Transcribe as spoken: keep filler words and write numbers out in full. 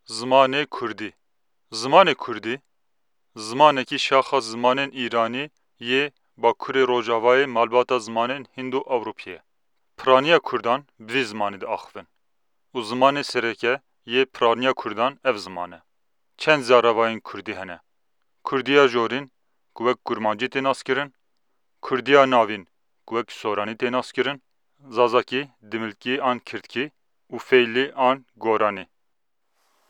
Zimanê Kurdî. Zimanê Kurdî, zimanekî şaxa zimanên Îranî yê Bakurê Rojavayê malbata zimanên Hindo-Ewropî ye. Piraniya Kurdan bi vî zimanî diaxivin û zimanê sereke yê piraniya Kurdan ev ziman e. Çend zaravayên Kurdî hene. Kurdiya jorîn, ku wek Kurmancî tê naskirin, Kurdiya navîn, ku wek Soranî tê naskirin, Zazakî, Dimilkî an Kirdkî û Feylî an Goranî.